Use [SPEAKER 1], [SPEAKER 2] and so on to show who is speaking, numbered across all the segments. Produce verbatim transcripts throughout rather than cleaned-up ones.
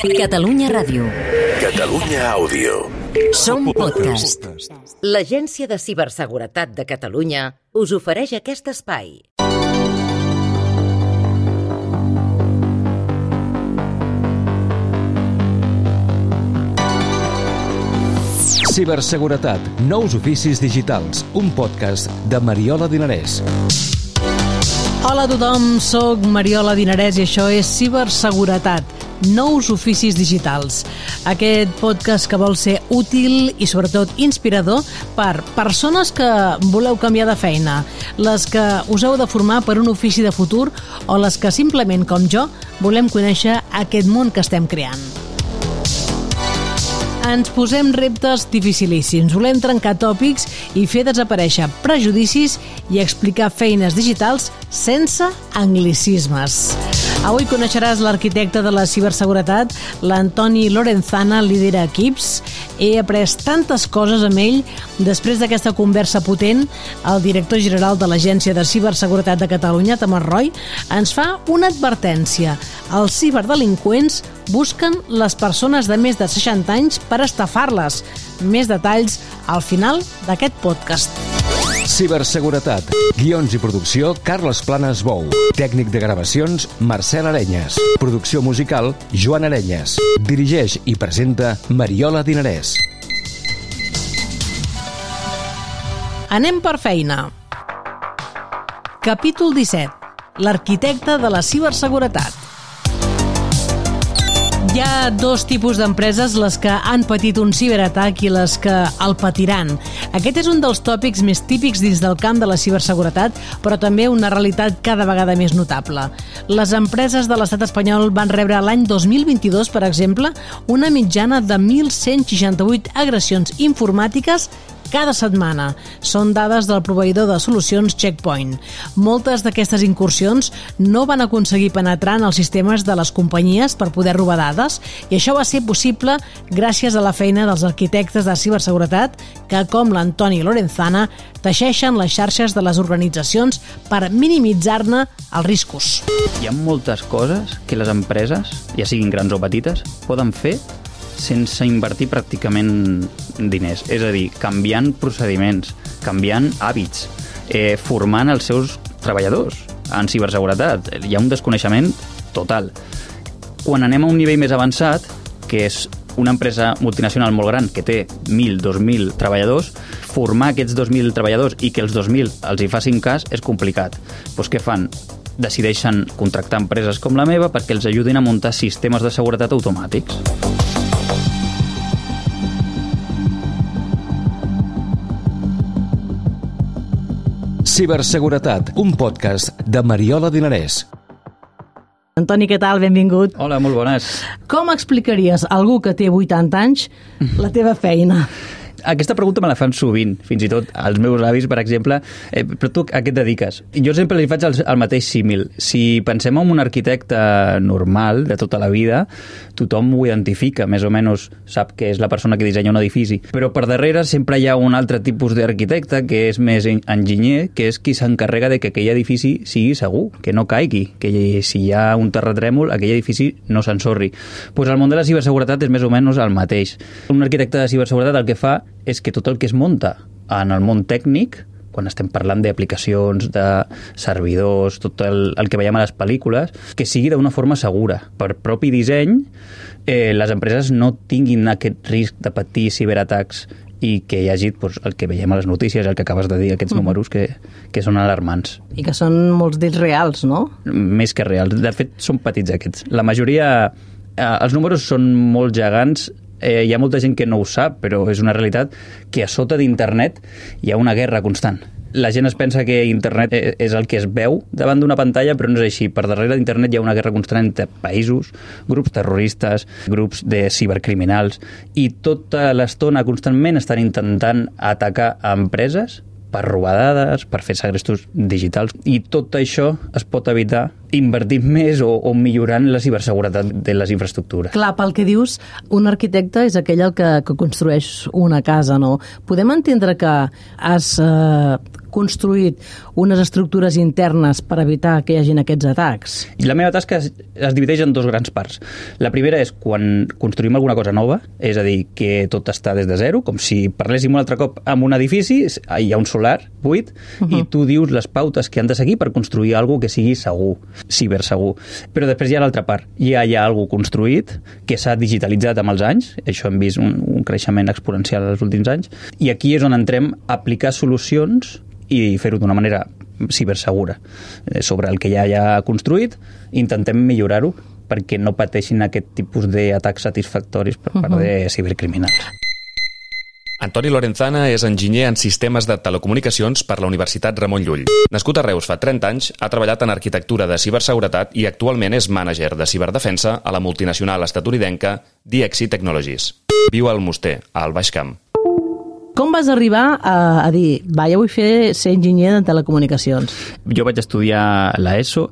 [SPEAKER 1] Catalunya Ràdio.
[SPEAKER 2] Catalunya Àudio.
[SPEAKER 1] Som podcast.
[SPEAKER 3] L'Agència de Ciberseguretat de Catalunya us ofereix aquest espai.
[SPEAKER 4] Ciberseguretat, nous oficis digitals, un podcast de Mariola Dinarès.
[SPEAKER 5] Hola a tothom, soc Mariola Dinarès i això és Ciberseguretat, nous oficis digitals. Aquest podcast que vol ser útil i sobretot inspirador per persones que voleu canviar de feina, les que us heu de formar per un ofici de futur o les que simplement, com jo, volem conèixer aquest món que estem creant. Ens posem reptes dificilíssims, volem trencar tòpics i fer desaparèixer prejudicis i explicar feines digitals sense anglicismes. Avui coneixeràs l'arquitecte de la ciberseguretat, l'Antoni Lorenzana, lidera equips. He après tantes coses amb ell. Després d'aquesta conversa potent, el director general de l'Agència de Ciberseguretat de Catalunya, Tomàs Roy, ens fa una advertència. Els ciberdelinqüents busquen les persones de més de seixanta anys per estafar-les. Més detalls al final d'aquest podcast.
[SPEAKER 4] Ciberseguretat. Guions i producció, Carles Planes Bou. Tècnic de gravacions, Marcel Arenyes. Producció musical, Joan Arenyes. Dirigeix i presenta Mariola Dinarès.
[SPEAKER 5] Anem per feina. Capítol disset. L'arquitecte de la ciberseguretat. Hi ha dos tipus d'empreses, les que han patit un ciberatac i les que el patiran. Aquest és un dels tòpics més típics dins del camp de la ciberseguretat, però també una realitat cada vegada més notable. Les empreses de l'estat espanyol van rebre l'any dos mil vint-i-dos, per exemple, una mitjana de mil cent seixanta-vuit agressions informàtiques cada setmana. Són dades del proveïdor de solucions Checkpoint. Moltes d'aquestes incursions no van aconseguir penetrar en els sistemes de les companyies per poder robar dades, i això va ser possible gràcies a la feina dels arquitectes de ciberseguretat que, com l'Antoni Lorenzana, teixeixen les xarxes de les organitzacions per minimitzar-ne els riscos.
[SPEAKER 6] Hi ha moltes coses que les empreses, ja siguin grans o petites, poden fer sense invertir pràcticament diners. És a dir, canviant procediments, canviant hàbits, eh, formant els seus treballadors en ciberseguretat. Hi ha un desconeixement total. Quan anem a un nivell més avançat, que és una empresa multinacional molt gran que té mil, dos mil treballadors, formar aquests dos mil treballadors i que els dos mil els hi facin cas és complicat. Doncs què fan? Decideixen contractar empreses com la meva perquè els ajudin a muntar sistemes de seguretat automàtics.
[SPEAKER 4] Ciberseguretat, un podcast de Mariola Dinarès.
[SPEAKER 5] Antoni, què tal? Benvingut.
[SPEAKER 6] Hola, molt bones.
[SPEAKER 5] Com explicaries a algú que té vuitanta anys la teva feina?
[SPEAKER 6] Aquesta pregunta me la fan sovint, fins i tot als meus avis, per exemple. Eh, però tu a què et dediques? Jo sempre li faig el, el mateix símil. Si pensem en un arquitecte normal de tota la vida, tothom ho identifica, més o menys sap que és la persona que dissenya un edifici. Però per darrere sempre hi ha un altre tipus d'arquitecte que és més enginyer, que és qui s'encarrega de que aquell edifici sigui segur, que no caigui, que si hi ha un terratrèmol, aquell edifici no s'ensorri. Pues el món de la ciberseguretat és més o menys el mateix. Un arquitecte de ciberseguretat el que fa és que tot el que es munta en el món tècnic, quan estem parlant d'aplicacions, de servidors, tot el, el que veiem a les pel·lícules, que sigui d'una forma segura. Per propi disseny, eh, les empreses no tinguin aquest risc de patir ciberatacs i que hi hagi doncs, el que veiem a les notícies, el que acabes de dir, aquests mm. números que, que són alarmants.
[SPEAKER 5] I que són molts d'ells reals, no?
[SPEAKER 6] Més que reals. De fet, són petits aquests. La majoria, eh, els números són molt gegants. Eh, hi ha molta gent que no ho sap, però és una realitat que a sota d'internet hi ha una guerra constant. La gent es pensa que internet és el que es veu davant d'una pantalla, però no és així. Per darrere d'internet hi ha una guerra constant entre països, grups terroristes, grups de cibercriminals, i tota l'estona constantment estan intentant atacar a empreses per robar dades, per fer segrestos digitals, i tot això es pot evitar invertint més o, o millorant la ciberseguretat de les infraestructures.
[SPEAKER 5] Clar, pel que dius, un arquitecte és aquell el que, que construeix una casa, no? Podem entendre que has eh, construït unes estructures internes per evitar que hi hagin aquests atacs?
[SPEAKER 6] I la meva tasca es, es divideix en dos grans parts. La primera és quan construïm alguna cosa nova, és a dir, que tot està des de zero, com si parléssim un altre cop amb un edifici, hi ha un solar buit, uh -huh. i tu dius les pautes que han de seguir per construir alguna cosa que sigui segur, cibersegur. Però després hi ha l'altra part. Ja hi ha alguna cosa construït que s'ha digitalitzat amb els anys, això hem vist un, un creixement exponencial els últims anys, i aquí és on entrem a aplicar solucions i fer-ho d'una manera cibersegura. Sobre el que ja hi ha construït, intentem millorar-ho perquè no pateixin aquest tipus d'atacs satisfactoris per part uh -huh. de cibercriminals.
[SPEAKER 7] Antoni Lorenzana és enginyer en sistemes de telecomunicacions per la Universitat Ramon Llull. Nascut a Reus fa trenta anys, ha treballat en arquitectura de ciberseguretat i actualment és mànager de ciberdefensa a la multinacional estatunidenca D X C Technologies. Viu al Almoster, al Baix Camp.
[SPEAKER 5] Com vas arribar a, a dir, va, jo vull fer ser enginyer de telecomunicacions?
[SPEAKER 6] Jo vaig estudiar l'ESO,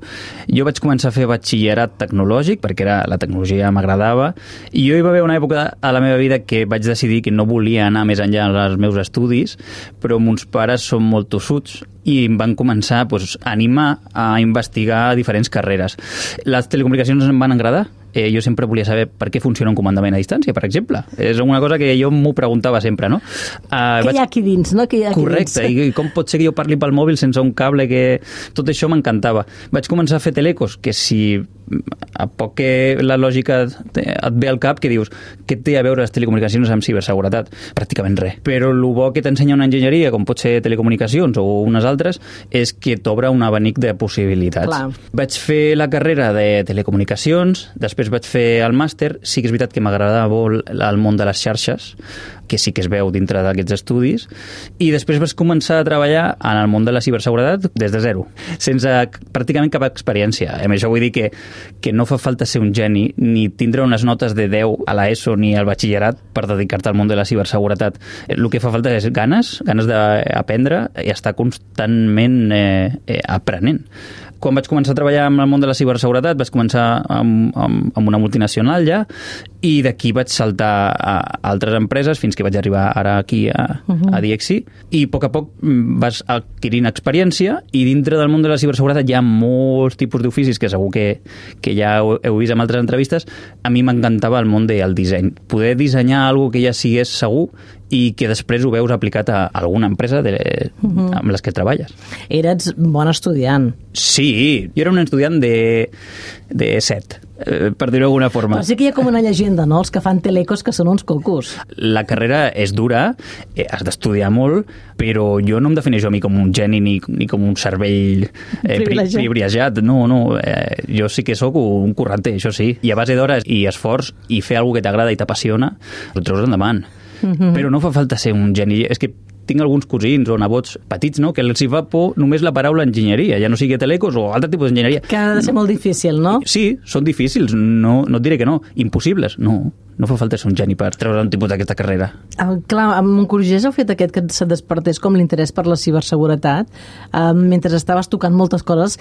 [SPEAKER 6] jo vaig començar a fer batxillerat tecnològic, perquè era, la tecnologia m'agradava, i jo hi va haver una època a la meva vida que vaig decidir que no volia anar més enllà dels meus estudis, però mons pares són molt tossuts i em van començar pues, a animar a investigar diferents carreres. Les telecomunicacions em van agradar. Eh, jo sempre volia saber per què funciona un comandament a distància, per exemple. És una cosa que jo m'ho preguntava sempre, no? Uh,
[SPEAKER 5] què
[SPEAKER 6] vaig...
[SPEAKER 5] hi ha aquí dins, no? Què hi ha aquí
[SPEAKER 6] Correcte,
[SPEAKER 5] dins?
[SPEAKER 6] i com pot ser que jo parli pel mòbil sense un cable que... Tot això m'encantava. Vaig començar a fer telecos, que si a poc que la lògica et ve al cap, que dius, què té a veure les telecomunicacions amb ciberseguretat? Pràcticament res. Però el bo que t'ensenya una enginyeria, com pot ser telecomunicacions o unes altres, és que t'obre un abanic de possibilitats.
[SPEAKER 5] Clar.
[SPEAKER 6] Vaig fer la carrera de telecomunicacions, després vaig fer el màster. Sí que és veritat que m'agradava molt el món de les xarxes, que sí que es veu dintre d'aquests estudis, i després vaig començar a treballar en el món de la ciberseguretat des de zero, sense pràcticament cap experiència. Amb això vull dir que, que no fa falta ser un geni ni tindre unes notes de deu a l'ESO ni al batxillerat per dedicar-te al món de la ciberseguretat. El que fa falta és ganes, ganes d'aprendre i estar constantment eh, eh, aprenent. Quan vaig començar a treballar amb el món de la ciberseguretat vaig començar amb, amb, amb una multinacional ja, i d'aquí vaig saltar a altres empreses fins que vaig arribar ara aquí a, uh-huh. a D X C, i a poc a poc vas adquirint experiència, i dintre del món de la ciberseguretat hi ha molts tipus d'oficis que segur que, que ja heu, heu vist en altres entrevistes. A mi m'encantava el món del disseny, poder dissenyar alguna que ja sigués segur i que després ho veus aplicat a alguna empresa de, uh-huh. amb les que treballes.
[SPEAKER 5] Eres bon estudiant.
[SPEAKER 6] Sí, jo era un estudiant de, de set, eh, per dir-ho d'alguna forma.
[SPEAKER 5] Però sí que hi ha com una llegenda, no?, els que fan telecos que són uns cocos.
[SPEAKER 6] La carrera és dura, eh, has d'estudiar molt, però jo no em defineixo a mi com un geni ni, ni com un cervell eh, privilegiat. privilegiat. No, no, eh, jo sí que sóc un curranter, això sí. I a base d'hores i esforç i fer alguna que t'agrada i t'apassiona, ho treus endavant. Uh-huh. Però no fa falta ser un geni. És que tinc alguns cosins o nebots petits, no?, que els hi fa por només la paraula enginyeria, ja no sigui telecos o altre tipus d'enginyeria.
[SPEAKER 5] Que ha de ser molt difícil, no?
[SPEAKER 6] Sí, són difícils, no, no et diré que no. Impossibles, no. No fa falta ser un geni per treure un tipus d'aquesta carrera.
[SPEAKER 5] El, clar, amb Moncorgès heu fet aquest que se despertés com l'interès per la ciberseguretat eh, mentre estaves tocant moltes coses,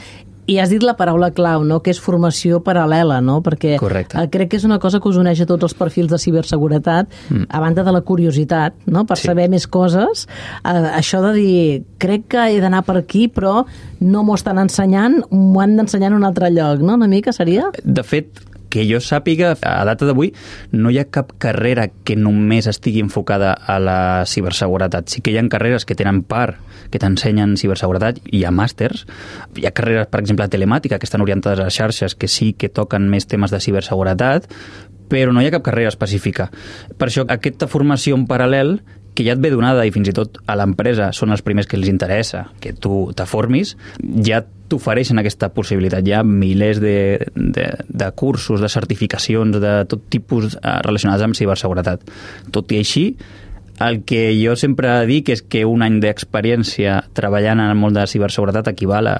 [SPEAKER 5] i has dit la paraula clau, no?, que és formació paral·lela, no? Perquè
[SPEAKER 6] Correcte.
[SPEAKER 5] crec que és una cosa que us uneix a tots els perfils de ciberseguretat, mm. a banda de la curiositat, no?, per sí. saber més coses. Eh, això de dir, crec que he d'anar per aquí, però no m'ho estan ensenyant, m'ho han d'ensenyar en un altre lloc, no?, una mica seria?
[SPEAKER 6] De fet, que jo sàpiga, a data d'avui, no hi ha cap carrera que només estigui enfocada a la ciberseguretat. Sí que hi ha carreres que tenen part, que t'ensenyen ciberseguretat, hi ha màsters, hi ha carreres, per exemple, de telemàtica, que estan orientades a xarxes, que sí que toquen més temes de ciberseguretat, però no hi ha cap carrera específica. Per això, aquesta formació en paral·lel, que ja et ve donada i fins i tot a l'empresa són els primers que els interessa que tu te formis, ja t'ofereixen aquesta possibilitat. Hi ha milers de, de, de cursos, de certificacions, de tot tipus relacionats amb ciberseguretat. Tot i així, el que jo sempre dic és que un any d'experiència treballant en el món de la ciberseguretat equival a,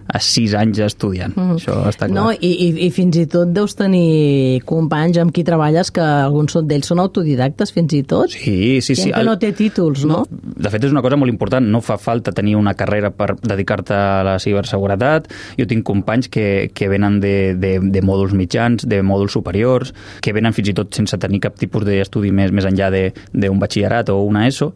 [SPEAKER 6] a sis anys estudiant. Mm. Això està clar.
[SPEAKER 5] No, i, i, i fins i tot deus tenir companys amb qui treballes que alguns d'ells són autodidactes, fins i tot.
[SPEAKER 6] Sí, sí, sí.
[SPEAKER 5] Gent que no té títols, no?
[SPEAKER 6] no? De fet, és una cosa molt important. No fa falta tenir una carrera per dedicar-te a la ciberseguretat. Jo tinc companys que, que venen de, de, de mòduls mitjans, de mòduls superiors, que venen fins i tot sense tenir cap tipus d'estudi més, més enllà d'un batxillerat o una ESO.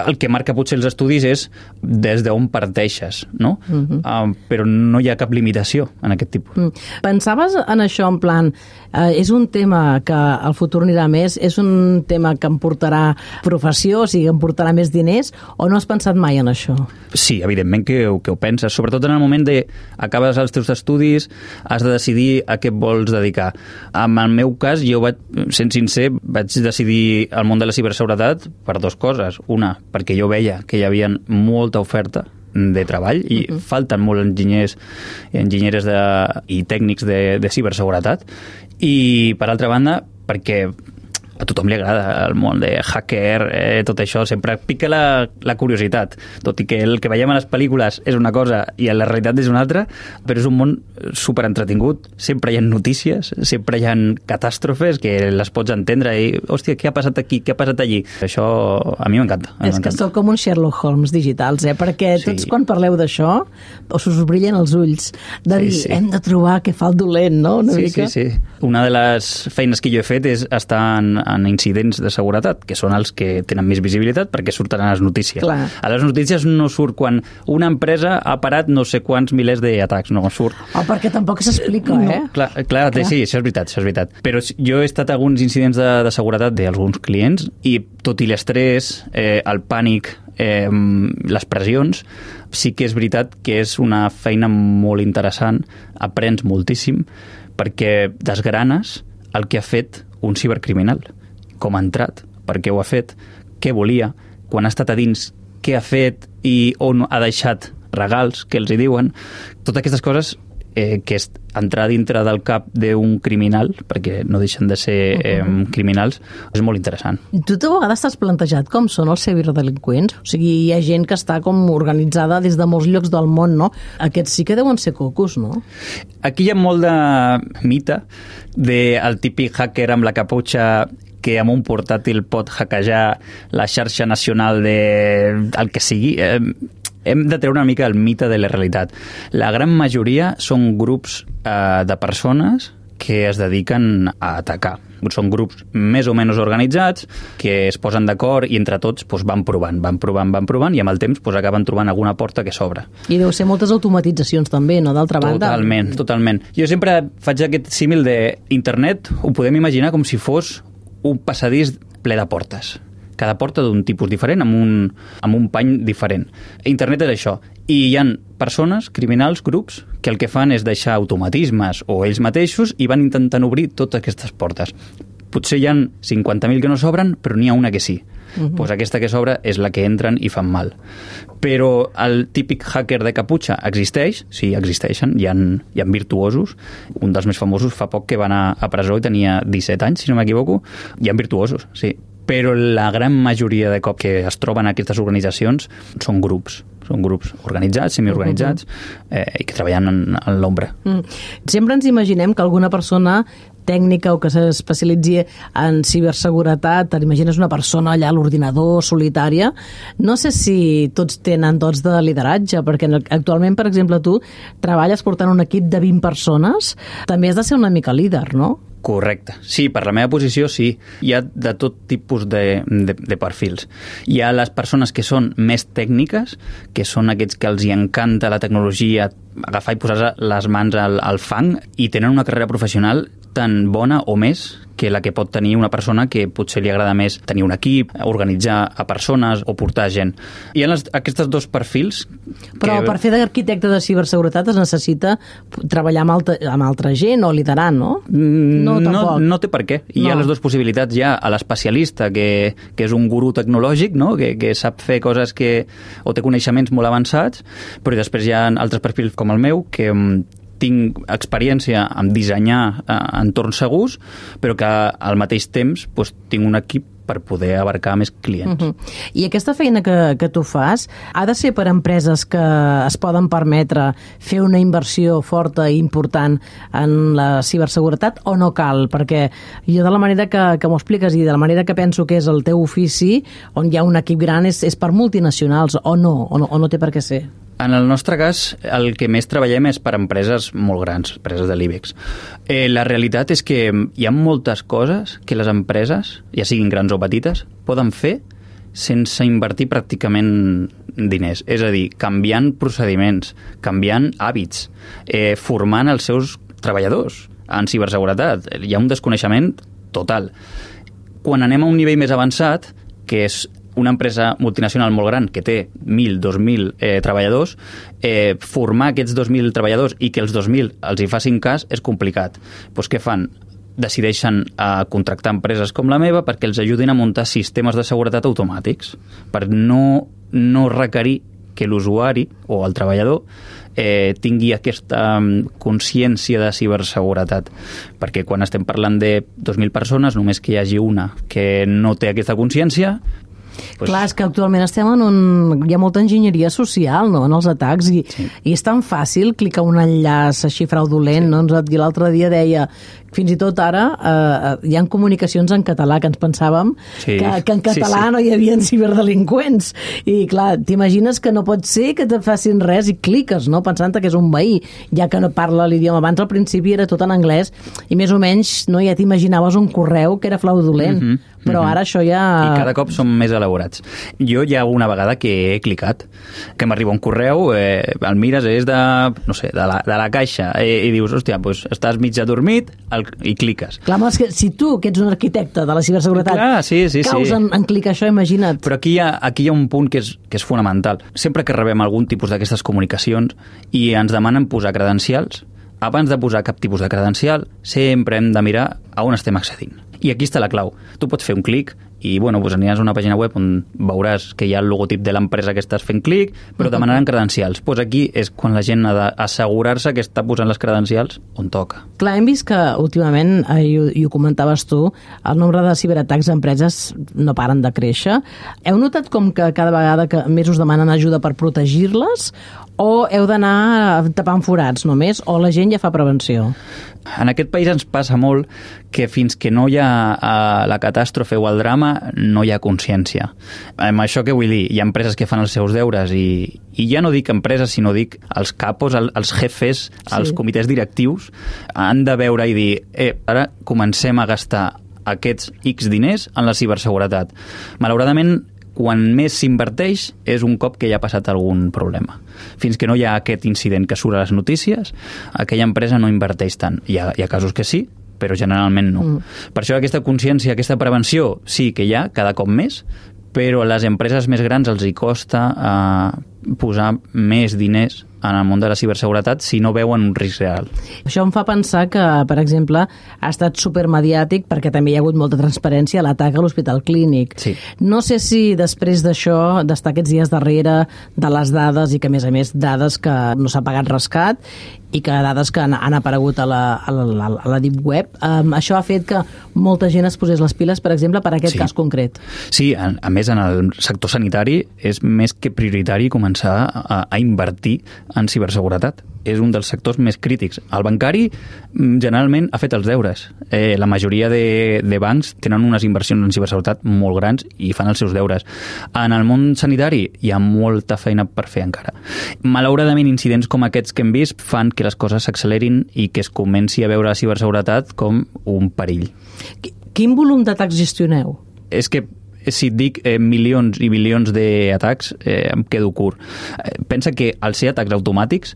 [SPEAKER 6] El que marca potser els estudis és des d'on parteixes, no? Uh-huh. Uh, però no hi ha cap limitació en aquest tipus.
[SPEAKER 5] Mm. Pensaves en això en plan, eh, és un tema que al futur anirà més, és un tema que em portarà professió, o sigui, em portarà més diners, o no has pensat mai en això?
[SPEAKER 6] Sí, evidentment que, que ho penses, sobretot en el moment de acabes els teus estudis, has de decidir a què et vols dedicar. En el meu cas, jo vaig, sent sincer, vaig decidir el món de la ciberseguretat per dues coses. Una, perquè jo veia que hi havia molta oferta de treball i uh-huh. falten molt enginyers enginyeres de, i tècnics de, de ciberseguretat, i per altra banda perquè a tothom li agrada el món de hacker, eh, tot això, sempre pica la, la curiositat, tot i que el que veiem a les pel·lícules és una cosa i a la realitat és una altra, però és un món super entretingut, sempre hi ha notícies, sempre hi ha catàstrofes que les pots entendre i, hòstia, què ha passat aquí, què ha passat allí? Això a mi m'encanta.
[SPEAKER 5] És que sou com un Sherlock Holmes digitals, eh? Perquè sí. Tots quan parleu d'això us us brillen els ulls de dir, sí, sí. hem de trobar què fa el dolent, no? Una
[SPEAKER 6] sí,
[SPEAKER 5] mica.
[SPEAKER 6] sí, sí. Una de les feines que jo he fet és estar en, en incidents de seguretat, que són els que tenen més visibilitat perquè surten a les notícies.
[SPEAKER 5] Clar.
[SPEAKER 6] A les notícies no surt quan una empresa ha parat no sé quants milers d'atacs, no surt.
[SPEAKER 5] Oh, perquè tampoc s'explica,
[SPEAKER 6] no,
[SPEAKER 5] eh?
[SPEAKER 6] Clar, clar, clar, sí, això és veritat, això és veritat. Però jo he estat a alguns incidents de, de seguretat d'alguns clients i tot i l'estrès, eh, el pànic, eh, les pressions, sí que és veritat que és una feina molt interessant, aprens moltíssim, perquè desgranes el que ha fet un cibercriminal, com ha entrat, per què ho ha fet, què volia, quan ha estat a dins, què ha fet i on ha deixat regals, que els hi diuen. Totes aquestes coses eh, que és entrar dintre del cap d'un criminal, perquè no deixen de ser eh, criminals, és molt interessant.
[SPEAKER 5] Tu de vegades t'has plantejat com són els ciberdelinqüents? O sigui, hi ha gent que està com organitzada des de molts llocs del món, no? Aquests sí que deuen ser cocos, no?
[SPEAKER 6] Aquí hi ha molt de mite del típic hacker amb la caputxa que amb un portàtil pot hackejar la xarxa nacional de el que sigui. Eh, hem de treure una mica el mite de la realitat. La gran majoria són grups eh, de persones que es dediquen a atacar. Són grups més o menys organitzats que es posen d'acord i entre tots doncs, van provant, van provant, van provant i amb el temps doncs, acaben trobant alguna porta que s'obre.
[SPEAKER 5] I deu ser moltes automatitzacions també, no? D'altra banda.
[SPEAKER 6] Totalment, totalment. Jo sempre faig aquest símil d'internet, ho podem imaginar com si fos un passadís ple de portes. Cada porta d'un tipus diferent, amb un, amb un pany diferent. Internet és això. I hi ha persones, criminals, grups, que el que fan és deixar automatismes o ells mateixos i van intentant obrir totes aquestes portes. Potser hi ha cinquanta mil que no s'obren, però n'hi ha una que sí. Uh-huh. Pues aquesta que s'obre és la que entren i fan mal. Però el típic hacker de caputxa existeix, sí, existeixen, hi ha, hi ha virtuosos. Un dels més famosos fa poc que va anar a presó i tenia disset anys, si no m'equivoco. Hi ha virtuosos, sí. Però la gran majoria de cop que es troben a aquestes organitzacions són grups. Són grups organitzats, semiorganitzats, eh, i que treballen en, en l'ombra.
[SPEAKER 5] Mm. Sempre ens imaginem que alguna persona tècnica o que s'especialitzi en ciberseguretat, t'imagines una persona allà a l'ordinador, solitària. No sé si tots tenen dots de lideratge, perquè actualment, per exemple, tu treballes portant un equip de vint persones, també has de ser una mica líder, no?
[SPEAKER 6] Correcte. Sí, per la meva posició sí. Hi ha de tot tipus de, de, de perfils. Hi ha les persones que són més tècniques, que són aquests que els hi encanta la tecnologia, agafar i posar les mans al, al fang i tenen una carrera professional tan bona o més que la que pot tenir una persona que potser li agrada més tenir un equip, organitzar a persones o portar gent. Hi ha les, aquests dos perfils...
[SPEAKER 5] Però
[SPEAKER 6] que...
[SPEAKER 5] per fer d'arquitecte de ciberseguretat es necessita treballar amb altra, amb altra gent o liderar, no?
[SPEAKER 6] No, no, no té per què. Hi
[SPEAKER 5] no.
[SPEAKER 6] ha les dues possibilitats. Hi ha l'especialista, que, que és un gurú tecnològic, no? que, que sap fer coses que... o té coneixements molt avançats, però després hi ha altres perfils com el meu, que tinc experiència en dissenyar eh, entorns segurs, però que al mateix temps doncs, tinc un equip per poder abarcar més clients.
[SPEAKER 5] Uh-huh. I aquesta feina que, que tu fas ha de ser per empreses que es poden permetre fer una inversió forta i important en la ciberseguretat o no cal? Perquè jo de la manera que, que m'ho expliques i de la manera que penso que és el teu ofici, on hi ha un equip gran, és, és per multinacionals o no, o no, o no té per què ser?
[SPEAKER 6] En el nostre cas, el que més treballem és per empreses molt grans, empreses de l'IBEX. Eh, la realitat és que hi ha moltes coses que les empreses, ja siguin grans o petites, poden fer sense invertir pràcticament diners. És a dir, canviant procediments, canviant hàbits, eh, formant els seus treballadors en ciberseguretat. Hi ha un desconeixement total. Quan anem a un nivell més avançat, que és una empresa multinacional molt gran que té mil, dos mil eh, treballadors, eh, formar aquests dos mil treballadors i que els dos mil els hi facin cas és complicat. Doncs què fan? Decideixen eh, contractar empreses com la meva perquè els ajudin a muntar sistemes de seguretat automàtics, per no, no requerir que l'usuari o el treballador eh, tingui aquesta consciència de ciberseguretat. Perquè quan estem parlant de dos mil persones, només que hi hagi una que no té aquesta consciència,
[SPEAKER 5] Pues... Clar, és que actualment estem en un... Hi ha molta enginyeria social, no?, en els atacs, i, sí. i és tan fàcil clicar un enllaç així fraudulent, sí. no? L'altre dia deia... Fins i tot ara eh, hi ha comunicacions en català que ens pensàvem sí. que, que en català sí, sí. no hi havia ciberdelinqüents. I clar, t'imagines que no pot ser que te facin res i cliques, no?, pensant que és un veí, ja que no parla l'idioma. Abans al principi era tot en anglès i més o menys no, ja t'imaginaves un correu que era fraudulent. Mm-hmm. Però ara això ja...
[SPEAKER 6] I cada cop són més elaborats. Jo hi ha una vegada que he clicat, que m'arriba un correu, eh, el mires, és de, no sé, de la, de la caixa, eh, i dius, hòstia, doncs estàs mig adormit el, i cliques.
[SPEAKER 5] Clar, però és que si tu, que ets un arquitecte de la ciberseguretat,
[SPEAKER 6] Clar, sí, sí,
[SPEAKER 5] caus
[SPEAKER 6] sí.
[SPEAKER 5] En, en clicar això, imagina't.
[SPEAKER 6] Però aquí hi ha, aquí hi ha un punt que és, que és fonamental. Sempre que rebem algun tipus d'aquestes comunicacions i ens demanen posar credencials, abans de posar cap tipus de credencial, sempre hem de mirar a on estem accedint. I aquí està la clau. Tu pots fer un clic i bueno, doncs aniràs a una pàgina web on veuràs que hi ha el logotip de l'empresa que estàs fent clic, però demanaran credencials. Doncs aquí és quan la gent ha d'assegurar-se que està posant les credencials on toca.
[SPEAKER 5] Clar, hem vist que últimament, eh, i, ho, i ho comentaves tu, el nombre de ciberatacs a empreses no paren de créixer. Heu notat com que cada vegada que més us demanen ajuda per protegir-les, o heu d'anar tapant forats només, o la gent ja fa prevenció?
[SPEAKER 6] En aquest país ens passa molt que fins que no hi ha uh, la catàstrofe o el drama, no hi ha consciència. Amb això què vull dir? Hi ha empreses que fan els seus deures i, i ja no dic empreses, sinó dic els capos, el, els jefes, sí. els comitès directius, han de veure i dir, eh, ara comencem a gastar aquests X diners en la ciberseguretat. Malauradament, quan més s'inverteix és un cop que ja ha passat algun problema. Fins que no hi ha aquest incident que surt a les notícies, aquella empresa no inverteix tant. Hi ha, hi ha casos que sí, però generalment no. Mm. Per això aquesta consciència, aquesta prevenció, sí que hi ha cada cop més, però a les empreses més grans els hi costa eh, posar més diners en el món de la ciberseguretat si no veuen un risc real.
[SPEAKER 5] Això em fa pensar que, per exemple, ha estat supermediàtic perquè també hi ha hagut molta transparència a l'atac a l'Hospital Clínic.
[SPEAKER 6] Sí.
[SPEAKER 5] No sé si després d'això, d'estar aquests dies darrere de les dades i que, a més a més, dades que no s'ha pagat rescat i que dades que han, han aparegut a la, a la, a la Deep Web, um, això ha fet que molta gent es posés les piles, per exemple, per aquest
[SPEAKER 6] sí.
[SPEAKER 5] cas concret.
[SPEAKER 6] Sí, a, a més, en el sector sanitari és més que prioritari començar a, a invertir en ciberseguretat. És un dels sectors més crítics. El bancari generalment ha fet els deures. Eh, la majoria de, de bancs tenen unes inversions en ciberseguretat molt grans i fan els seus deures. En el món sanitari hi ha molta feina per fer encara. Malauradament, incidents com aquests que hem vist fan que les coses s'accelerin i que es comenci a veure la ciberseguretat com un perill.
[SPEAKER 5] Quin volum d'atacs gestioneu?
[SPEAKER 6] És que si et dic eh, milions i bilions d'atacs, eh, em quedo curt. Eh, pensa que al ser atacs automàtics,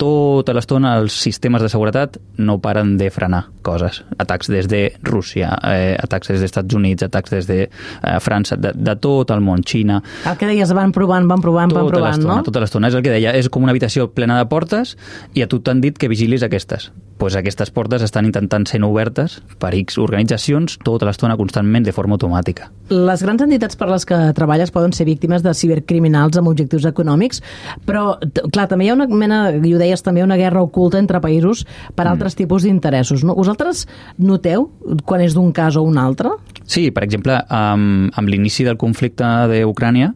[SPEAKER 6] tota l'estona els sistemes de seguretat no paren de frenar coses. Atacs des de Rússia, eh, atacs des dels Estats Units, atacs des de eh, França, de, de tot el món, Xina.
[SPEAKER 5] El que deies, van provant, van provant,
[SPEAKER 6] tota
[SPEAKER 5] van provant, no?
[SPEAKER 6] Tota l'estona, és el que deia, és com una habitació plena de portes i a tu t'han dit que vigilis aquestes. Pues aquestes portes estan intentant ser obertes per X organitzacions tota l'estona constantment de forma automàtica.
[SPEAKER 5] Les grans entitats per les que treballes poden ser víctimes de cibercriminals amb objectius econòmics, però, clar, també hi ha una mena, i ho deies també, una guerra oculta entre països per altres mm. tipus d'interessos. No? Vosaltres noteu quan és d'un cas o un altre?
[SPEAKER 6] Sí, per exemple, amb, amb l'inici del conflicte d'Ucrània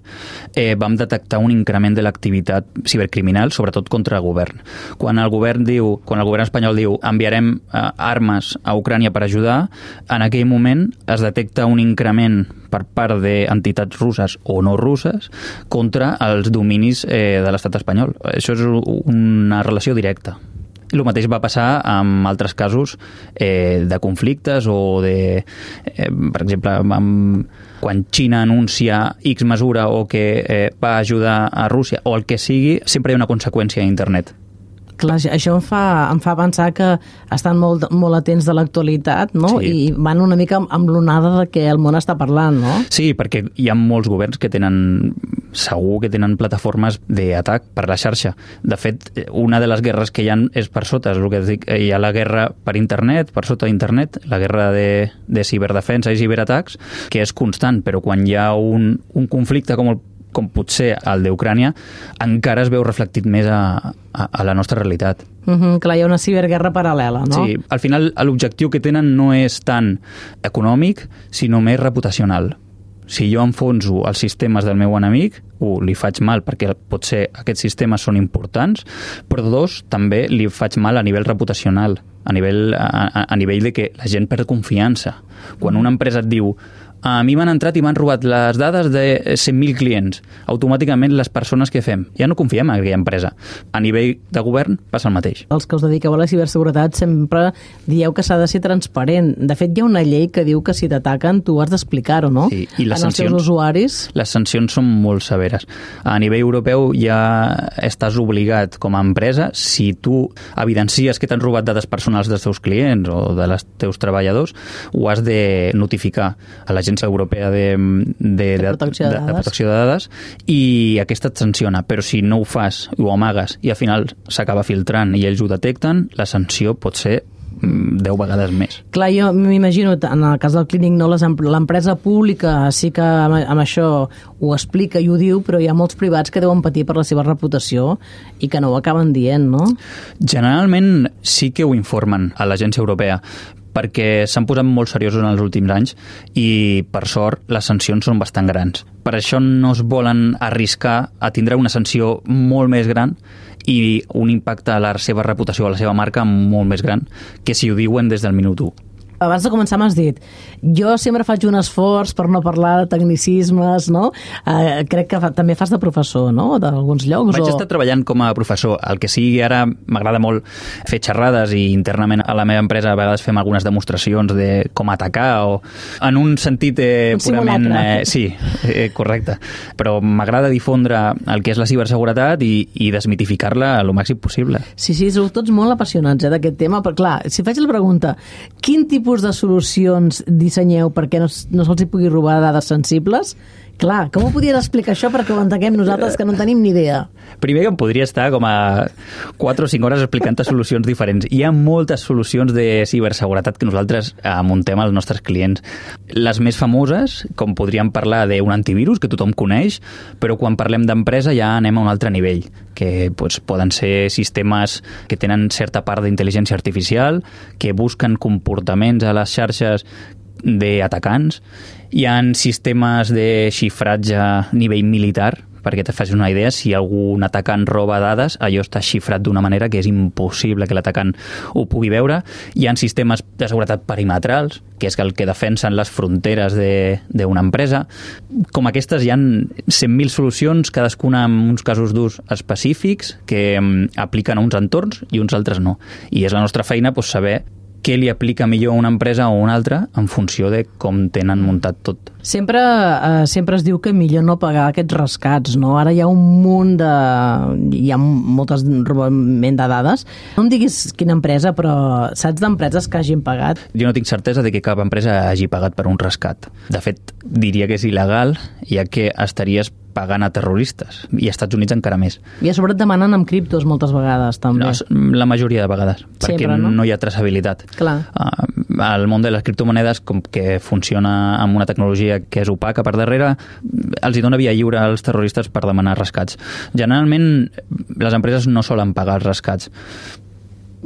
[SPEAKER 6] eh, vam detectar un increment de l'activitat cibercriminal, sobretot contra el govern. Quan el govern diu, quan el govern espanyol diu enviarem eh, armes a Ucrània per ajudar, en aquell moment es detecta un increment per part d'entitats russes o no russes contra els dominis eh, de l'estat espanyol. Això és una relació directa. El mateix va passar amb altres casos eh, de conflictes o de, eh, per exemple, amb, quan Xina anuncia X mesura o que eh, va ajudar a Rússia o el que sigui, sempre hi ha una conseqüència a internet.
[SPEAKER 5] Clar, això em fa, em fa pensar que estan molt, molt atents de l'actualitat, no?
[SPEAKER 6] Sí.
[SPEAKER 5] I van una mica amb l'onada de què el món està parlant, no?
[SPEAKER 6] Sí, perquè hi ha molts governs que tenen, segur que tenen plataformes d'atac per la xarxa. De fet, una de les guerres que hi ha és per sota, és el que dic, hi ha la guerra per internet, per sota d'internet, la guerra de, de ciberdefensa i ciberatacs, que és constant, però quan hi ha un, un conflicte com el com potser el d'Ucrània, encara es veu reflectit més a, a, a la nostra realitat.
[SPEAKER 5] Mm-hmm, clar, hi ha una ciberguerra paral·lela, no?
[SPEAKER 6] Sí, al final l'objectiu que tenen no és tant econòmic, sinó més reputacional. Si jo enfonso els sistemes del meu enemic, un, li faig mal perquè potser aquests sistemes són importants, però dos, també li faig mal a nivell reputacional, a nivell, a, a nivell de que la gent perd confiança. Quan una empresa et diu a mi m'han entrat i m'han robat les dades de cent mil clients, automàticament les persones que fem, ja no confiem en aquella empresa. A nivell de govern passa el mateix.
[SPEAKER 5] Els que us dediqueu a la ciberseguretat sempre dieu que s'ha de ser transparent. De fet, hi ha una llei que diu que si t'ataquen tu has d'explicar-ho, no?
[SPEAKER 6] Sí, i les
[SPEAKER 5] en els
[SPEAKER 6] sancions,
[SPEAKER 5] teus usuaris.
[SPEAKER 6] Les sancions són molt severes. A nivell europeu ja estàs obligat com a empresa, si tu evidencies que t'han robat dades personals dels teus clients o de les teus treballadors, ho has de notificar a l'agència europea de, de, de,
[SPEAKER 5] protecció de,
[SPEAKER 6] de, de protecció de dades i aquesta et sanciona, però si no ho fas i ho amagues i al final s'acaba filtrant i ells ho detecten, la sanció pot ser deu vegades més.
[SPEAKER 5] Clar, jo m'imagino, en el cas del Clínic, no, l'empresa pública sí que amb, amb això ho explica i ho diu, però hi ha molts privats que deuen patir per la seva reputació i que no ho acaben dient, no?
[SPEAKER 6] Generalment sí que ho informen a l'agència europea, perquè s'han posat molt seriosos en els últims anys i, per sort, les sancions són bastant grans. Per això no es volen arriscar a tindre una sanció molt més gran i un impacte a la seva reputació, a la seva marca, molt més gran que si ho diuen des del minut u.
[SPEAKER 5] Abans de començar m'has dit, jo sempre faig un esforç per no parlar de tecnicismes, no? Eh, crec que fa, també fas de professor, no? D'alguns llocs.
[SPEAKER 6] Vaig
[SPEAKER 5] o...
[SPEAKER 6] estar treballant com a professor. El que sigui, ara m'agrada molt fer xerrades i internament a la meva empresa a vegades fem algunes demostracions de com atacar o en un sentit eh,
[SPEAKER 5] un
[SPEAKER 6] purament... Eh, sí, eh, correcte. Però m'agrada difondre el que és la ciberseguretat i, i desmitificar-la el màxim possible.
[SPEAKER 5] Sí, sí, sou tots molt apassionats eh, d'aquest tema, però clar, si faig la pregunta, quin tipus de solucions dissenyeu perquè no, no se'ls hi pugui robar dades sensibles? Clar, com ho podries explicar això perquè ho entenguem nosaltres que no en tenim ni idea?
[SPEAKER 6] Primer que em podria estar com a quatre o cinc hores explicant solucions diferents. Hi ha moltes solucions de ciberseguretat que nosaltres eh, muntem als nostres clients. Les més famoses, com podríem parlar d'un antivirus, que tothom coneix, però quan parlem d'empresa ja anem a un altre nivell, que doncs, poden ser sistemes que tenen certa part d'intel·ligència artificial, que busquen comportaments a les xarxes d'atacants. Hi ha sistemes de xifratge a nivell militar, perquè te facis una idea, si algun atacant roba dades, allò està xifrat d'una manera que és impossible que l'atacant ho pugui veure. Hi ha sistemes de seguretat perimetrals, que és el que defensen les fronteres d'una empresa. Com aquestes hi ha cent mil solucions, cadascuna amb uns casos d'ús específics que apliquen a uns entorns i uns altres no. I és la nostra feina doncs, saber què li aplica millor a una empresa o a una altra en funció de com tenen muntat tot.
[SPEAKER 5] Sempre, eh, sempre es diu que millor no pagar aquests rescats, no? Ara hi ha un munt de... hi ha moltes robament de dades. No em diguis quina empresa, però saps d'empreses que hagin pagat?
[SPEAKER 6] Jo no tinc certesa de que cap empresa hagi pagat per un rescat. De fet, diria que és il·legal, ja que estaries pagant a terroristes, i als Estats Units encara més.
[SPEAKER 5] I a sobre et demanen amb criptos moltes vegades, també.
[SPEAKER 6] No, la majoria de vegades, perquè
[SPEAKER 5] Sempre, no?
[SPEAKER 6] no hi ha traçabilitat.
[SPEAKER 5] Clar.
[SPEAKER 6] Uh, el món de les criptomonedes, com que funciona amb una tecnologia que és opaca per darrere, els hi dona via lliure als terroristes per demanar rescats. Generalment, les empreses no solen pagar els rescats.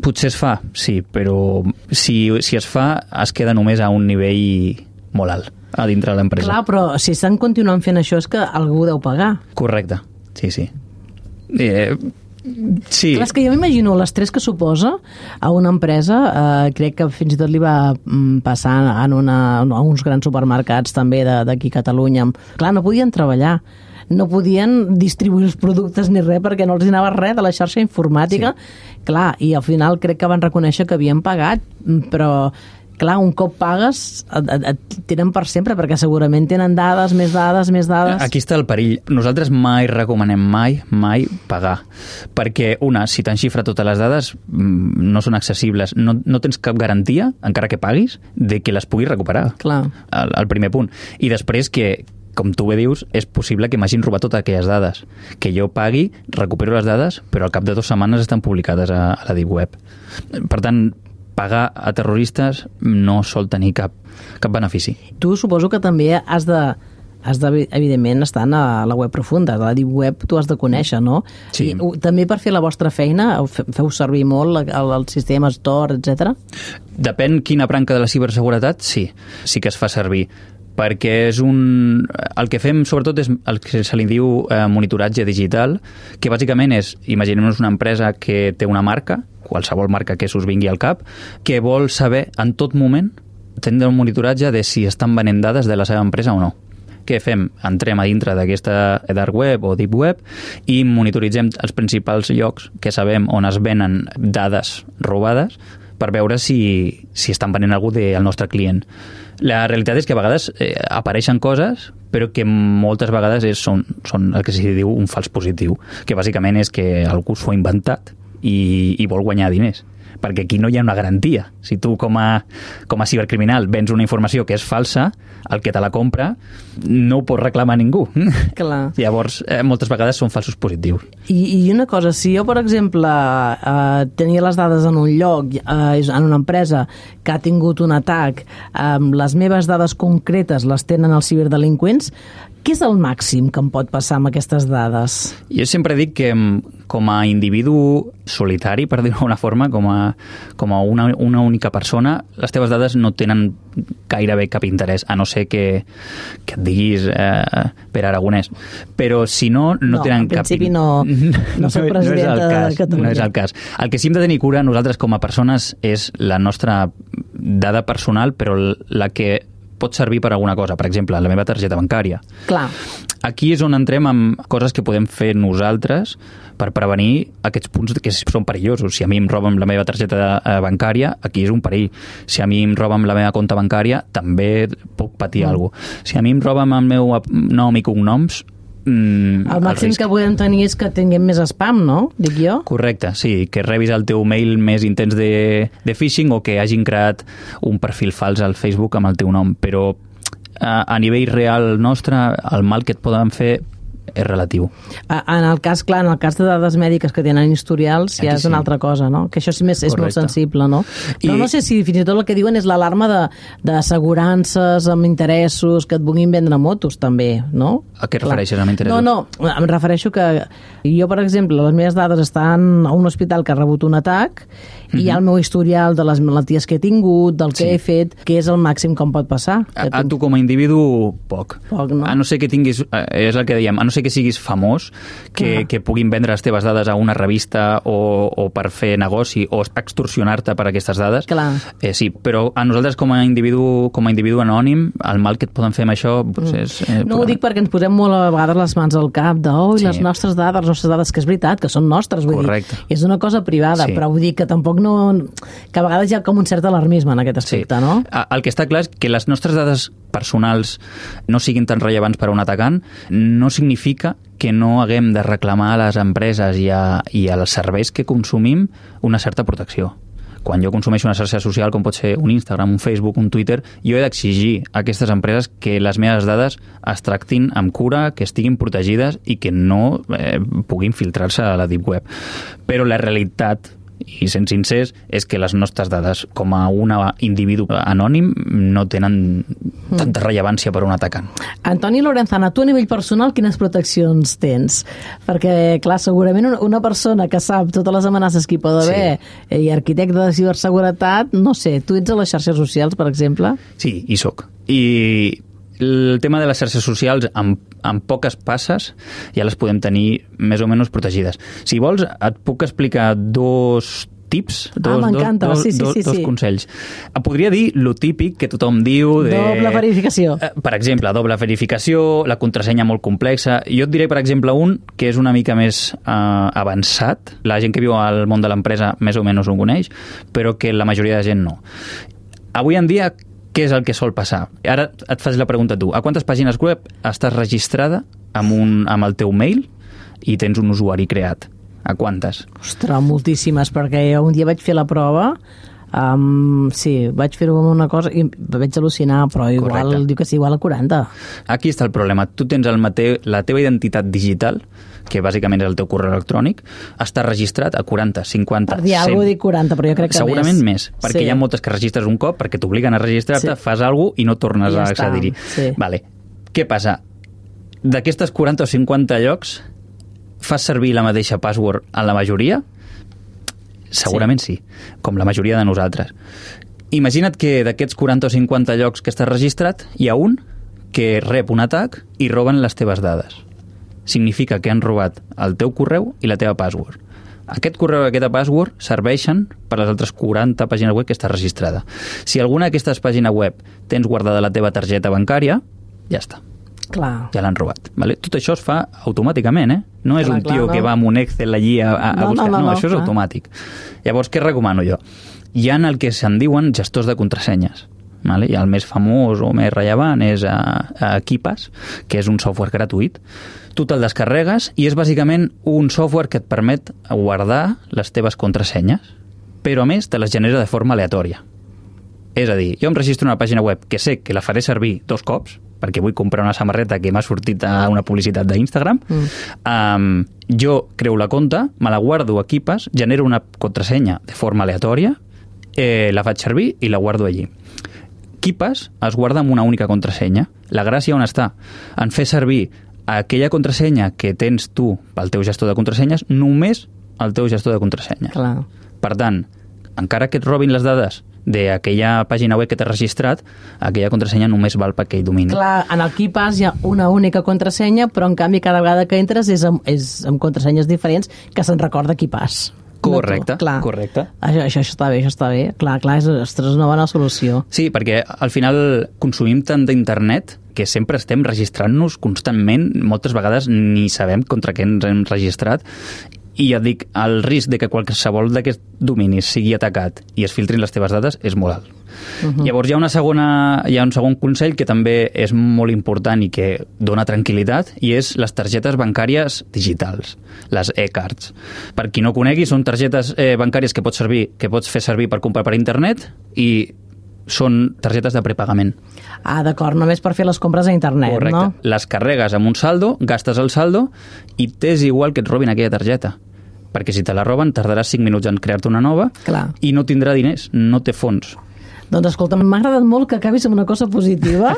[SPEAKER 6] Potser es fa, sí, però si, si es fa, es queda només a un nivell molt alt a dintre de l'empresa.
[SPEAKER 5] Clar, però si estan continuant fent això és que algú deu pagar.
[SPEAKER 6] Correcte, sí, sí. Eh, sí.
[SPEAKER 5] Clar, és que jo m'imagino l'estrès que suposa a una empresa, eh, crec que fins i tot li va mm, passar en una, a uns grans supermercats també d'aquí a Catalunya. Clar, no podien treballar, no podien distribuir els productes ni res perquè no els anava res de la xarxa informàtica. Sí. Clar, i al final crec que van reconèixer que havien pagat, però clar, un cop pagues et, et, et tenen per sempre, perquè segurament tenen dades, més dades, més dades.
[SPEAKER 6] Aquí està el perill. Nosaltres mai recomanem mai, mai pagar. Perquè, una, si t'enxifra totes les dades, no són accessibles. No, no tens cap garantia, encara que paguis, de que les puguis recuperar.
[SPEAKER 5] Clar.
[SPEAKER 6] El, el primer punt. I després que, com tu bé dius, és possible que m'hagin robat totes aquelles dades. Que jo pagui, recupero les dades, però al cap de dues setmanes estan publicades a, a la Deep Web. Per tant, pagar a terroristes no sol tenir cap, cap benefici.
[SPEAKER 5] Tu suposo que també has de, has de, evidentment, estar a la web profunda, a la Deep Web tu has de conèixer, no?
[SPEAKER 6] Sí.
[SPEAKER 5] I, també per fer la vostra feina feu servir molt el, el sistema Tor, etcètera?
[SPEAKER 6] Depèn quina branca de la ciberseguretat, sí, sí que es fa servir, perquè és un... El que fem, sobretot, és el que se li diu eh, monitoratge digital, que bàsicament és, imaginem-nos una empresa que té una marca, qualsevol marca que s'us vingui al cap, que vol saber en tot moment, tindre un monitoratge de si estan venent dades de la seva empresa o no. Què fem? Entrem a dintre d'aquesta dark web o deep web i monitoritzem els principals llocs que sabem on es venen dades robades per veure si, si estan venent algú del nostre client. La realitat és que a vegades eh, apareixen coses, però que moltes vegades és, són, són el que s'hi diu un fals positiu, que bàsicament és que algú s'ho ha inventat i, i vol guanyar diners. Perquè aquí no hi ha una garantia. Si tu com a, com a cibercriminal vens una informació que és falsa, el que te la compra no ho pot reclamar ningú.
[SPEAKER 5] Clar.
[SPEAKER 6] Llavors, eh, moltes vegades són falsos positius.
[SPEAKER 5] I, i una cosa, si jo, per exemple, eh, tenia les dades en un lloc, eh, en una empresa que ha tingut un atac, eh, les meves dades concretes les tenen els ciberdelinqüents, què és el màxim que em pot passar amb aquestes dades?
[SPEAKER 6] Jo sempre dic que com a individu solitari, per dir-ho d'una forma, com a, com a una, una única persona, les teves dades no tenen gairebé cap interès, a no ser que, que et diguis eh, Pere Aragonès. Però si no, no, no tenen cap...
[SPEAKER 5] No, en principi no, no soc presidenta
[SPEAKER 6] no, no
[SPEAKER 5] de Catalunya.
[SPEAKER 6] No és el cas. El que sí hem de tenir cura nosaltres com a persones és la nostra dada personal, però la que pot servir per alguna cosa, per exemple, la meva targeta bancària.
[SPEAKER 5] Clar.
[SPEAKER 6] Aquí és on entrem amb coses que podem fer nosaltres per prevenir aquests punts que són perillosos. Si a mi em roben la meva targeta bancària, aquí és un perill. Si a mi em roben la meva compta bancària, també puc patir mm. alguna cosa. Si a mi em roben el meu nom i cognoms, Mm,
[SPEAKER 5] el màxim el que podem tenir és que tinguem més spam, no? Dic jo?
[SPEAKER 6] Correcte, sí, que rebis el teu mail més intens de, de phishing o que hagin creat un perfil fals al Facebook amb el teu nom, però a, a nivell real nostre el mal que et poden fer és relatiu.
[SPEAKER 5] En el cas, clar, en el cas de dades mèdiques que tenen historials ja és una altra cosa, no? Que això sí més és molt sensible, no? Però I... no sé si fins i tot el que diuen és l'alarma de, d'assegurances amb interessos que et vulguin vendre motos també, no?
[SPEAKER 6] A què refereixes amb interessos?
[SPEAKER 5] No, no, em refereixo que jo, per exemple, les meves dades estan a un hospital que ha rebut un atac i mm-hmm. hi ha el meu historial de les malalties que he tingut, del que sí. he fet, que és el màxim que em pot passar.
[SPEAKER 6] A, a tu com a individu, poc.
[SPEAKER 5] Poc, no?
[SPEAKER 6] A no ser que tinguis, és el que dèiem, a no ser que siguis famós, que, que puguin vendre les teves dades a una revista o, o per fer negoci o extorsionar-te per aquestes dades.
[SPEAKER 5] Clar.
[SPEAKER 6] Eh, sí, però a nosaltres com a individu com a individu anònim, el mal que et poden fer amb això doncs és... Eh,
[SPEAKER 5] no ho dic perquè ens posem molt a vegades les mans al cap de oh, sí. les nostres dades, les nostres dades, que és veritat, que són nostres, vull
[SPEAKER 6] Correcte.
[SPEAKER 5] dir, és una cosa privada, sí. però vull dir que tampoc no... que a vegades hi ha com un cert alarmisme en aquest aspecte,
[SPEAKER 6] sí.
[SPEAKER 5] no?
[SPEAKER 6] El que està clar és que les nostres dades personals no siguin tan rellevants per a un atacant no significa que no haguem de reclamar a les empreses i, a, i als serveis que consumim una certa protecció. Quan jo consumeixo una xarxa social com pot ser un Instagram, un Facebook, un Twitter, jo he d'exigir a aquestes empreses que les meves dades es tractin amb cura, que estiguin protegides i que no eh, puguin filtrar-se a la Deep Web. Però la realitat i sent sincers, és que les nostres dades com a un individu anònim no tenen tanta rellevància per a un atacant.
[SPEAKER 5] Antoni Lorenzana, tu a nivell personal quines proteccions tens? Perquè, clar, segurament una persona que sap totes les amenaces que hi pot haver sí. i arquitecte de ciberseguretat, no sé, tu ets a les xarxes socials, per exemple?
[SPEAKER 6] Sí, hi soc. I el tema de les xarxes socials, amb, amb poques passes, ja les podem tenir més o menys protegides. Si vols, et puc explicar dos tips, dos,
[SPEAKER 5] ah, m'encanta,
[SPEAKER 6] dos,
[SPEAKER 5] sí, sí,
[SPEAKER 6] dos,
[SPEAKER 5] sí,
[SPEAKER 6] dos
[SPEAKER 5] sí.
[SPEAKER 6] consells. Podria dir lo típic que tothom diu de...
[SPEAKER 5] Doble verificació.
[SPEAKER 6] Per exemple, doble verificació, la contrasenya molt complexa. Jo et diré, per exemple, un que és una mica més eh, avançat. La gent que viu al món de l'empresa més o menys ho coneix, però que la majoria de gent no. Avui en dia, què és el que sol passar? Ara et fas la pregunta tu. A quantes pàgines web estàs registrada amb, un, amb el teu mail i tens un usuari creat? A quantes?
[SPEAKER 5] Ostres, moltíssimes, perquè jo un dia vaig fer la prova, um, sí, vaig fer-ho amb una cosa i vaig al·lucinar, però igual, Correcte. diu que sí, igual a quaranta.
[SPEAKER 6] Aquí està el problema. Tu tens el mateu, la teva identitat digital, que bàsicament és el teu correu electrònic, està registrat a quaranta, cinquanta,
[SPEAKER 5] per dir
[SPEAKER 6] cent.
[SPEAKER 5] alguna cosa dic quaranta, però jo crec que
[SPEAKER 6] segurament
[SPEAKER 5] més.
[SPEAKER 6] més, perquè
[SPEAKER 5] sí.
[SPEAKER 6] hi ha moltes que registres un cop, perquè t'obliguen a registrar-te, sí. fas alguna cosa i no tornes
[SPEAKER 5] ja
[SPEAKER 6] a accedir-hi.
[SPEAKER 5] Sí.
[SPEAKER 6] Vale. Què passa? D'aquestes quaranta o cinquanta llocs, fas servir la mateixa password a la majoria? Segurament sí. sí, com la majoria de nosaltres. Imagina't que d'aquests quaranta o cinquanta llocs que estàs registrat, hi ha un que rep un atac i roben les teves dades. Significa que han robat el teu correu i la teva password. Aquest correu i aquesta password serveixen per les altres quaranta pàgines web que està registrada. Si alguna d'aquestes pàgines web tens guardada la teva targeta bancària, ja està.
[SPEAKER 5] Clar.
[SPEAKER 6] Ja l'han robat. Vale? Tot això es fa automàticament, eh? No és
[SPEAKER 5] clar,
[SPEAKER 6] un tio
[SPEAKER 5] clar,
[SPEAKER 6] que
[SPEAKER 5] no.
[SPEAKER 6] va amb un Excel allí a, a, a
[SPEAKER 5] no,
[SPEAKER 6] buscar.
[SPEAKER 5] No, no,
[SPEAKER 6] no,
[SPEAKER 5] no,
[SPEAKER 6] això és
[SPEAKER 5] clar.
[SPEAKER 6] automàtic. Llavors, què recomano jo? Hi ha el que se'n diuen gestors de contrasenyes. Vale? I el més famós o més rellevant és a, a Keepass, que és un software gratuït. Tu te'l descarregues i és bàsicament un software que et permet guardar les teves contrasenyes, però a més te les genera de forma aleatòria. És a dir, jo em registro una pàgina web que sé que la faré servir dos cops, perquè vull comprar una samarreta que m'ha sortit a una publicitat d'Instagram, mm. um, jo creo la compte, me la guardo a Keepass, genero una contrasenya de forma aleatòria, eh, la faig servir i la guardo allí. Keepass es guarda amb una única contrasenya. La gràcia on està? En fer servir aquella contrasenya que tens tu pel teu gestor de contrasenyes, només el teu gestor de contrasenya.
[SPEAKER 5] Clar.
[SPEAKER 6] Per tant, encara que et robin les dades d'aquella pàgina web que t'has registrat, aquella contrasenya només val per aquell domini.
[SPEAKER 5] Clar, en el Keepass hi ha una única contrasenya, però en canvi cada vegada que entres és amb, és amb contrasenyes diferents que se'n recorda Keepass.
[SPEAKER 6] Correcte,
[SPEAKER 5] no clar.
[SPEAKER 6] correcte.
[SPEAKER 5] Això, això, això està bé, això està bé. Clar, clar, és, ostres, una bona solució.
[SPEAKER 6] Sí, perquè al final consumim tant d'internet que sempre estem registrant-nos constantment, moltes vegades ni sabem contra què ens hem registrat, i ja et dic, el risc de que qualsevol d'aquests dominis sigui atacat i es filtrin les teves dades és molt alt. Uh-huh. Llavors hi ha, una segona, hi ha un segon consell que també és molt important i que dona tranquil·litat, i és les targetes bancàries digitals, les e-cards. Per qui no conegui, són targetes eh, bancàries que pots, servir, que pots fer servir per comprar per internet i són targetes de prepagament.
[SPEAKER 5] Ah, d'acord, només per fer les compres a internet,
[SPEAKER 6] Correcte.
[SPEAKER 5] no?
[SPEAKER 6] Les carregues amb un saldo, gastes el saldo i t'és igual que et robin aquella targeta. Perquè si te la roben tardaràs cinc minuts en crear-te una nova.
[SPEAKER 5] Clar.
[SPEAKER 6] I no tindrà diners, no té fons.
[SPEAKER 5] Doncs escolta, m'ha agradat molt que acabis amb una cosa positiva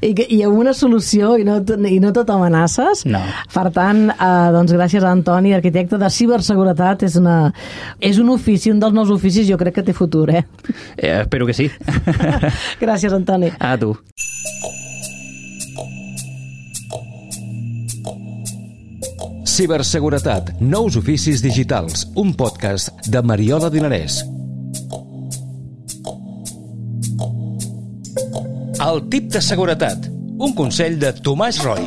[SPEAKER 5] i, que, i amb una solució i no, i no tot amenaces.
[SPEAKER 6] No.
[SPEAKER 5] Per tant, eh, doncs gràcies a Antoni, arquitecte de ciberseguretat. És, una, és un ofici, un dels nous oficis, jo crec que té futur, eh?
[SPEAKER 6] eh espero que sí.
[SPEAKER 5] Gràcies, Antoni.
[SPEAKER 6] A tu.
[SPEAKER 4] Ciberseguretat, nous oficis digitals, un podcast de Mariola Dinarès. El tip de seguretat, un consell de Tomàs Roy.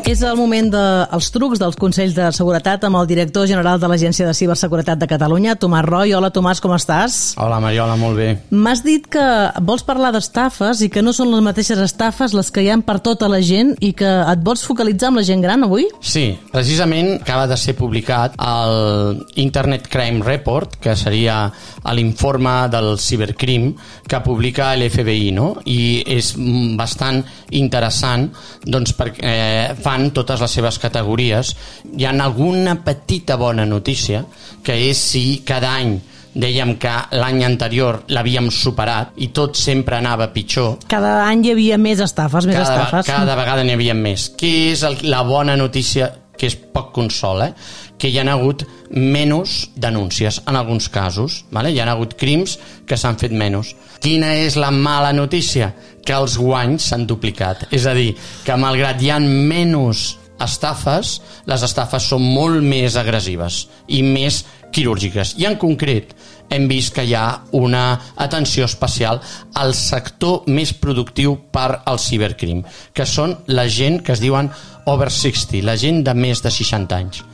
[SPEAKER 5] És el moment dels de, trucs dels consells de seguretat amb el director general de l'Agència de Ciberseguretat de Catalunya, Tomàs Roy. Hola, Tomàs, com estàs?
[SPEAKER 8] Hola, Mariola, molt bé.
[SPEAKER 5] M'has dit que vols parlar d'estafes i que no són les mateixes estafes les que hi ha per tota la gent i que et vols focalitzar amb la gent gran avui?
[SPEAKER 8] Sí, precisament acaba de ser publicat el Internet Crime Report, que seria l'informe del cibercrim que publica l'F B I, no? I és bastant interessant, doncs, perquè eh, fan fan totes les seves categories. Hi ha alguna petita bona notícia, que és si cada any dèiem que l'any anterior l'havíem superat i tot sempre anava pitjor.
[SPEAKER 5] Cada any hi havia més estafes, més
[SPEAKER 8] cada,
[SPEAKER 5] estafes.
[SPEAKER 8] Cada vegada n'hi havia més. Què és el, la bona notícia, que és poc consol, eh? Que hi ha hagut menys denúncies en alguns casos, vale? Hi ha hagut crims que s'han fet menys. Quina és la mala notícia? Que els guanys s'han duplicat. És a dir, que malgrat hi ha menys estafes, les estafes són molt més agressives i més quirúrgiques. I en concret hem vist que hi ha una atenció especial al sector més productiu per al cibercrim, que són la gent que es diuen over seixanta, la gent de més de seixanta anys.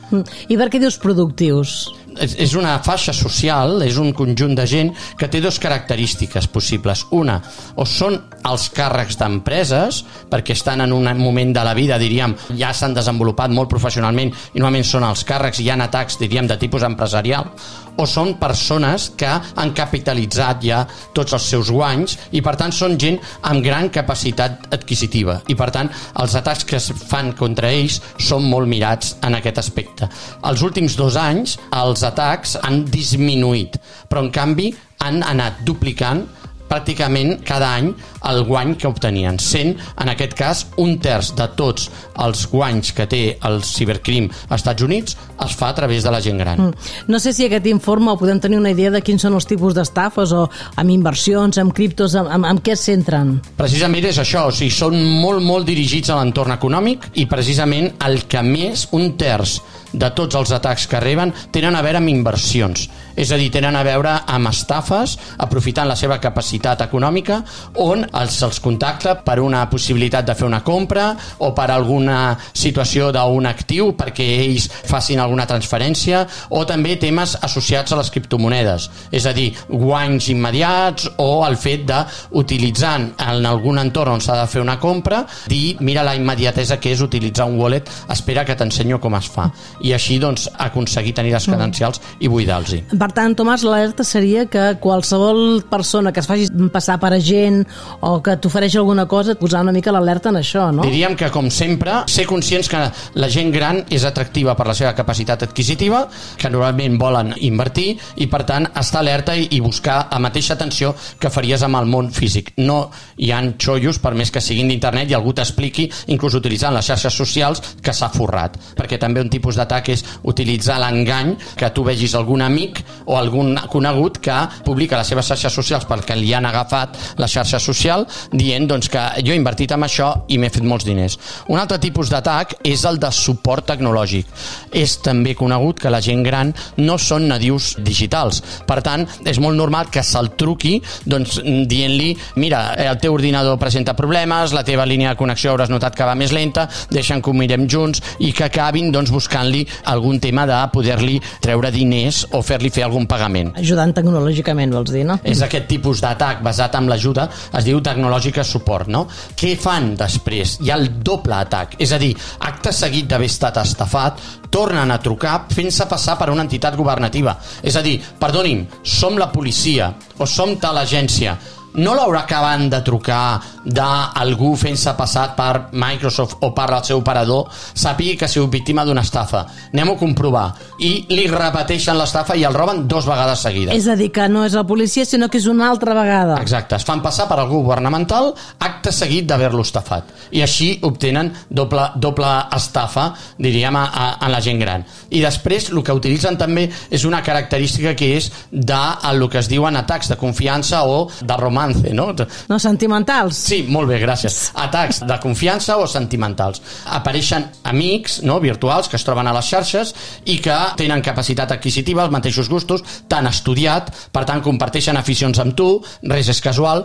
[SPEAKER 5] I per què dius productius?
[SPEAKER 8] És una faixa social, és un conjunt de gent que té dues característiques possibles. Una, o són els càrrecs d'empreses, perquè estan en un moment de la vida, diríem, ja s'han desenvolupat molt professionalment i normalment són els càrrecs, hi ha atacs, diríem, de tipus empresarial, o són persones que han capitalitzat ja tots els seus guanys i per tant són gent amb gran capacitat adquisitiva i per tant els atacs que es fan contra ells són molt mirats en aquest aspecte. Els últims dos anys els atacs han disminuït, però en canvi han anat duplicant pràcticament cada any el guany que obtenien, sent en aquest cas un terç de tots els guanys que té el cibercrim als Estats Units es fa a través de la gent gran.
[SPEAKER 5] Mm. No sé si aquest informe podem tenir una idea de quins són els tipus d'estafes o amb inversions, amb criptos, amb, amb, amb què es centren?
[SPEAKER 8] Precisament és això, o sigui, són molt, molt dirigits a l'entorn econòmic i precisament el que més, un terç de tots els atacs que reben tenen a veure amb inversions, és a dir, tenen a veure amb estafes aprofitant la seva capacitat econòmica on els, els contacta per una possibilitat de fer una compra o per alguna situació d'un actiu perquè ells facin alguna transferència o també temes associats a les criptomonedes, és a dir, guanys immediats o el fet d'utilitzant en algun entorn on s'ha de fer una compra, dir, mira la immediatesa que és utilitzar un wallet, espera que t'ensenyo com es fa. I així doncs aconseguir tenir les credencials i buidar-los-hi.
[SPEAKER 5] Per tant, Tomàs, l'alerta seria que qualsevol persona que es faci passar per agent o que t'ofereixi alguna cosa, posar una mica l'alerta en això, no?
[SPEAKER 8] Diríem que, com sempre, ser conscients que la gent gran és atractiva per la seva capacitat adquisitiva, que normalment volen invertir i, per tant, estar alerta i buscar la mateixa atenció que faries amb el món físic. No hi ha xollos, per més que siguin d'internet, i algú t'expliqui, inclús utilitzant les xarxes socials, que s'ha forrat. Perquè també un tipus d'atac és utilitzar l'engany, que tu vegis algun amic o algun conegut que publica les seves xarxes socials perquè li han agafat la xarxa social dient doncs, que jo he invertit en això i m'he fet molts diners. Un altre tipus d'atac és el de suport tecnològic. És també conegut que la gent gran no són nadius digitals. Per tant, és molt normal que se'l truqui doncs, dient-li mira, el teu ordinador presenta problemes, la teva línia de connexió hauràs notat que va més lenta, deixa'm que ho mirem junts i que acabin doncs, buscant-li algun tema de poder-li treure diners o fer-li fer algun pagament.
[SPEAKER 5] Ajudant tecnològicament, vols dir, no?
[SPEAKER 8] És aquest tipus d'atac basat en l'ajuda, es diu tecnològica suport, no? Què fan després? Hi ha el doble atac, és a dir, acte seguit d'haver estat estafat, tornen a trucar fent-se passar per una entitat governativa. És a dir, perdoni'm, som la policia o som tal agència, no l'haurà acabat de trucar d'algú fent-se passat per Microsoft o per el seu operador, sàpigui que ha sigut víctima d'una estafa. Anem-ho a comprovar. I li repeteixen l'estafa i el roben dos vegades seguides.
[SPEAKER 5] És a dir, que no és la policia, sinó que és una altra vegada.
[SPEAKER 8] Exacte. Es fan passar per algú governamental acte seguit d'haver-lo estafat. I així obtenen doble, doble estafa, diríem, a, a, a la gent gran. I després, el que utilitzen també és una característica que és de el que es diuen atacs de confiança o de romance. No?
[SPEAKER 5] no, sentimentals.
[SPEAKER 8] Sí, molt bé, gràcies. Atacs de confiança o sentimentals. Apareixen amics no, virtuals que es troben a les xarxes i que tenen capacitat adquisitiva, els mateixos gustos, t'han estudiat, per tant comparteixen aficions amb tu, res és casual,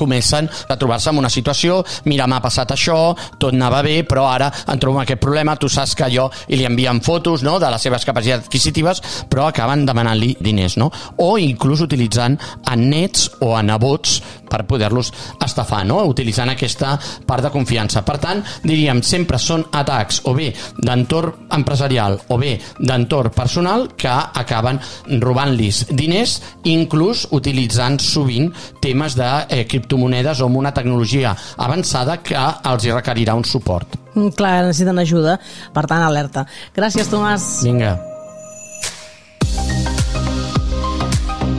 [SPEAKER 8] comencen a trobar-se en una situació, mira, m'ha passat això, tot anava bé, però ara em trobo amb aquest problema, tu saps que jo, i li envien fotos no, de les seves capacitats adquisitives, però acaben demanant-li diners, no? O inclús utilitzant a nets o a nebots poder-los per poder-los estafar, no? Utilitzant aquesta part de confiança. Per tant, diríem, sempre són atacs o bé d'entorn empresarial o bé d'entorn personal que acaben robant-los diners, inclús utilitzant sovint temes de eh, criptomonedes o amb una tecnologia avançada que els hi requerirà un suport.
[SPEAKER 5] Mm, clar, necessiten ajuda, per tant, alerta. Gràcies, Tomàs.
[SPEAKER 8] Vinga.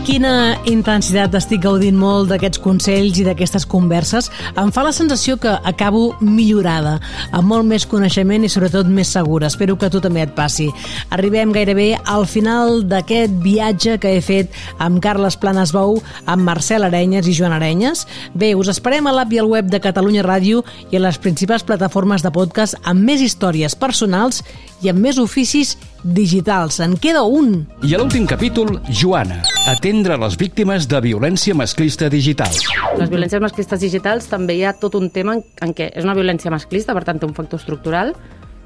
[SPEAKER 5] Quina intensitat, estic gaudint molt d'aquests consells i d'aquestes converses. Em fa la sensació que acabo millorada, amb molt més coneixement i sobretot més segura. Espero que a tu també et passi. Arribem gairebé al final d'aquest viatge que he fet amb Carles Planas Bou, amb Marcel Arenyes i Joan Arenyes. Bé, us esperem a l'app i al web de Catalunya Ràdio i a les principals plataformes de podcast amb més històries personals i amb més oficis digitals. En queda un.
[SPEAKER 4] I a l'últim capítol, Joana, atendre les víctimes de violència masclista digital.
[SPEAKER 9] Les violències masclistes digitals també hi ha tot un tema en, en què és una violència masclista, per tant té un factor estructural,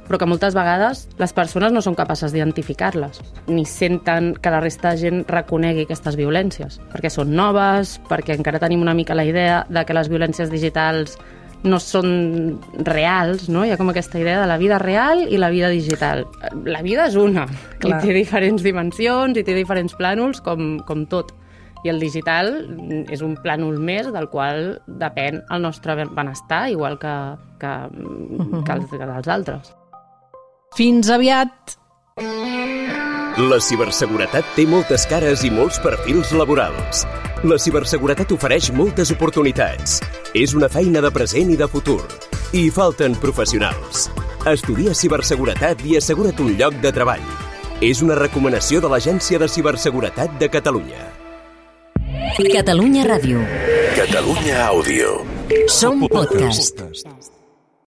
[SPEAKER 9] però que moltes vegades les persones no són capaces d'identificar-les, ni senten que la resta de gent reconegui aquestes violències, perquè són noves, perquè encara tenim una mica la idea de que les violències digitals no són reals, no? Hi ha com aquesta idea de la vida real i la vida digital. La vida és una, Clar. I té diferents dimensions i té diferents plànols, com, com tot. I el digital és un plànol més del qual depèn el nostre benestar, igual que, que, uh-huh. que, els, que dels altres.
[SPEAKER 5] Fins aviat!
[SPEAKER 2] La ciberseguretat té moltes cares i molts perfils laborals. La ciberseguretat ofereix moltes oportunitats. És una feina de present i de futur. I hi falten professionals. Estudia ciberseguretat i assegura't un lloc de treball. És una recomanació de l'Agència de Ciberseguretat de Catalunya.
[SPEAKER 1] Catalunya Ràdio.
[SPEAKER 2] Catalunya Àudio.
[SPEAKER 1] Som podcast.